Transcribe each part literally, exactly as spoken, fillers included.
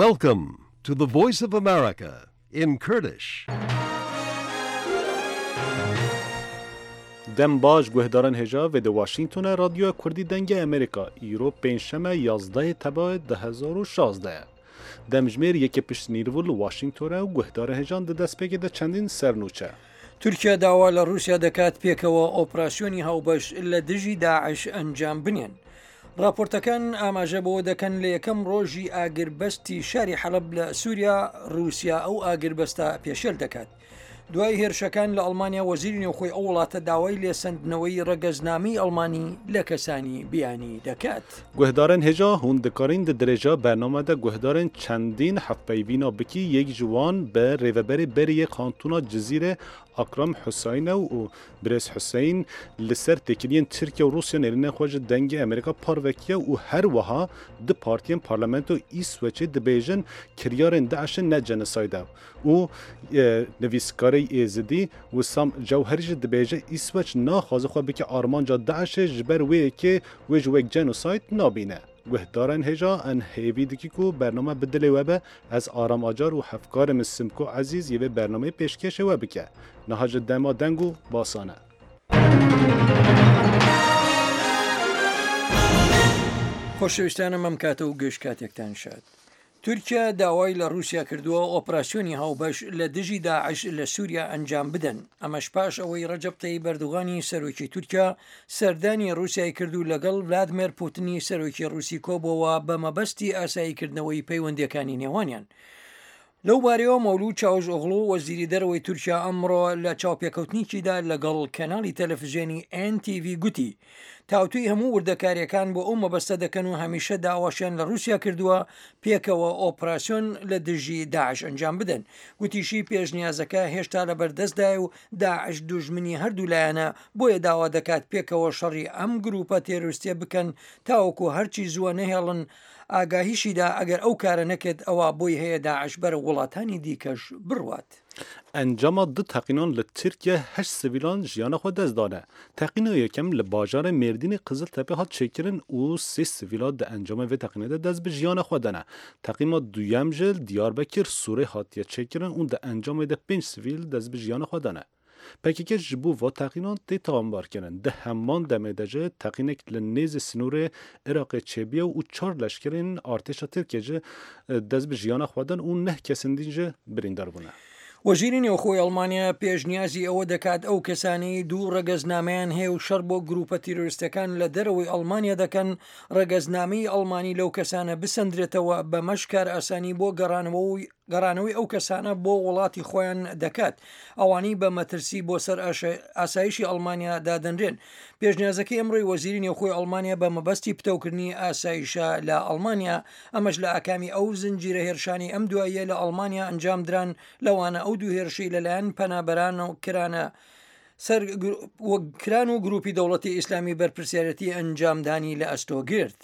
Welcome to the Voice of America in Kurdish. Dem baş guhdaran hêja vê di Washingtona Radyoya Kurdî Dengê Amerîka îro pêncşeme yazdehê Tebayê du hezar û şazdeh ye. Demjimêr yekê pişt nîrvû li Washingtonê û guhdarên hêjan di destpêkê de çendîn sernûçe. تورکیا داوا لە رووسیا دەکات پێکەوە ئۆپراسیۆنی هاوبەش لە دژی داعش ئەنجام بنێن. راپۆرتەکان ئاماژە بەوە دەکەن لە یەکەم ڕۆژی ئاگربەستی شاری حەلەب لە سووریا رووسیا ئەو ئاگربەستە پێشێل دەکات. دوای هێرشەکان لە ئەڵمانیا وەزیری نێوخۆی ئەو وڵاتە داوای لێسەندنەوەی ڕەگەزنامەی ئەڵمانی لە کەسانی بیانی دەکات. Guhdarên hêja hûn dikarîn di dirêja bername de guhdarên çendîn hevpeyvîna bikî yek ji wan bi rêveberê berê Kantona Cizîrê Akram Huseyne û Birêz Huseyîn li ser têkiliyên Tirkiye û Rûsya nêrînên xwe ji dengê Amerîka parvekiye û her wiha du partiyên parlamento İsveçê dibêjin kiryarên DAIŞê ne jenosayд e û nivîskarê Êzidî Wissam Cewherî jî dibêje İsveç naxwaze xwe bike armanca DAIŞê ji ber wê yekê wê ji wek jenosayd nabîne. Guhdarên hêja en hêvî dikî ku bername bi dilê we be ez Aram Acar û hevkarê min Simko Ezîz yê vê bernameyê pêşkêşê we bike. Niha ji dema deng û basan e. خۆشەویستانم ئەم کاتە و گشت کاتێکتان شاد. تورکیا داوای لە رووسیا کردووە ئۆپراسیۆنی هاوبەش لە دژی داعش لە سووریا ئەنجام بدەن. ئەمەش پاش ئەوەی ڕەجەب تەیب ئەردوغانی سەرۆکی تورکیا سەردانی رووسیای کرد و لەگەڵ ڤلادیمێر پوتنی سەرۆکی رووسی کۆبەوە بە مەبەستی ئاساییکردنەوەی پەیوەندیەکانی نێوانیان. لەو بارەیەوە مەولود چاوش ئۆغڵو وەزیری دەرەوەی تورکیا ئەمڕۆ لە چاوپێکەوتنێکیدا لەگەڵ کەناڵی تەلەفزیۆنی ئێن تی ڤی گوتی تاوتوی هەموو وردەکاریەکان بۆ ئەو مەبەستە دەکەن و هەمیشە داواشیان لە رووسیا کردووە پێکەوە ئۆپراسیۆن لە دژی داعش ئەنجام بدەن. گوتیشی پێشنیازەکە هێشتا لە بەردەستدایە و داعش دوژمنی هەردوو لایەنە، بۆیە داوا دەکات پێکەوە شەڕی ئەم گروپە تێرۆریستیە بکەن تاوەکو هەرچی زووە نەهێڵن. ئاگاهیشیدا ئەگەر ئەو کارە نەکرد ئەوە بۆی هەیە داعش بەرە وڵاتانی دیکەش بڕوات. Encama du teqînan li Tirkiye heşt sivîlan jiyana xwe dest dane. Teqîna yekem li bajarê Mêrdînê Qiziltepe hat çêkirin û sê sivîla di encama vê teqînê de dest bi jiyana xwe dane. Teqîma duyem ji Diyarbekir Sûrê hatiye çêkirin û di encamê de pênc sivîl dest bi jiyana xwe dane. P K K ji bo va teqînan tê tawanbarkirin. Di heman demê de jî teqînek li nêzî sînorê Iraqê çêbiye û çar leşkerên artêşa Tirkiye jî dest bi jiyana xwe dan û neh kesên din jî birîndar bûne. وەزیری نێوخۆی ئەڵمانیا پێشنیازی ئەوە دەکات ئەو کەسانەی دوو ڕەگەزنامەیان هەیە و شەڕ بۆ گروپە تیرۆریستەکان لە دەرەوەی ئەڵمانیا دەکەن ڕەگەزنامەی ئەڵمانی لەو کەسانە بسەندرێتەوە، بەمەش کارئاسانی بۆ گەڕانەوەی گەڕانەوەی ئەو کەسانە بۆ وڵاتی خۆیان دەکات ئەوانەی بە مەترسی بۆ سەر ئاسایشی ئەڵمانیا دادەنرێن. پێشنیازەکەی ئەمڕۆی وەزیری نێوخۆی ئەڵمانیا بە مەبەستی پتەوکردنی ئاسایشە لە ئەڵمانیا، ئەمەش لە ئاکامی ئەو زنجیرە هێرشانی ئەم دواییە لە ئەڵمانیا ئەنجام دران، لەوانە ئەو دوو هێرشەی لەلایەن پەنابەران و کرانە سەر کران و گروپی دەوڵەتی ئیسلامی بەرپرسیارەتی ئەنجامدانی لە ئەستۆ گرت.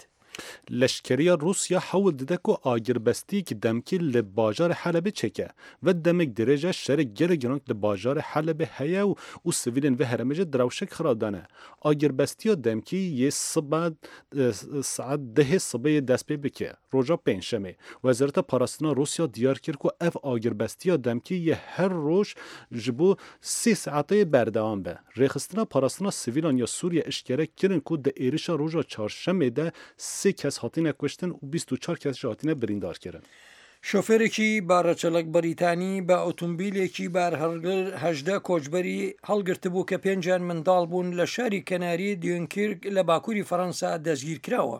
Leşkeriya Rûsya hewl dide ku agirbestiyek demkî li bajarê Helebê çêke ve demek dirêj e şerê gelek giran li bajarê Helebê heye û û sivîlên vê herêmê jî di rewşek xirab de ne. Agirbestiya demkî yê sibe saet dehê sibê dest pê bike roja pêncşemê. Wezareta Parastina Rûsya diyar kir ku ev agirbestiya demkî yê her roj ji bo sê saetê berdewam be. Rêxistina Parastina Sivîlan ya Sûriye eşkere kirin ku di êrişa roja çarşemê de sê kes hatine kuştin û bîst û çar kes jî hatine birîndar kirin. شۆفێرێکی بارەچەلەک بەریتانی بە ئۆتۆمبیلێکی بارهەڵگر هەژدە کۆچبەری هەڵگرتبوو کە پێنجیان منداڵ بوون لە شاری کەناری دیونکیرک لە باکووری فەڕەنسا دەستگیر کراوە.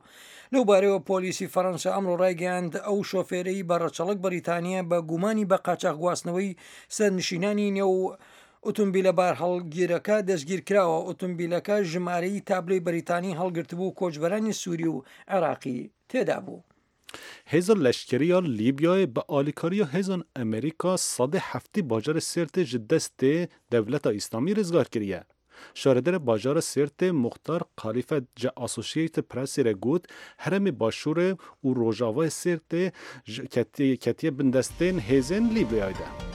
لەو بارەیەوە پۆلیسی فەڕەنسا ئەمڕۆ ڕایگەیاند ئەو شۆفێرەی بەڕەچەڵەک بەریتانیە بە گومانی بە قاچاخگواستنەوەی سەرنشینانی نێو ئۆتۆمبیلە بارهەڵگیرەکە دەستگیر کراوە. ئۆتۆمبیلەکە ژمارەی تابلۆی بەریتانی هەڵگرتبوو کۆچبەرانی سووری و عێراقی تێدا بوو. Hêza leşkeriya Lîbyayê bi alîkariya hêzan Amerîka sedê heftê bajarê Sêrtê ji destê Dewleta Îslamî rizgar kiriye. Şaredarê bajara Sêrtê Muxtar Xalîfe ji Associated Pressê re got herêmê Başûrê û Rojavayê Sêrtê ketiye bin destên hêzên Lîbyayê de.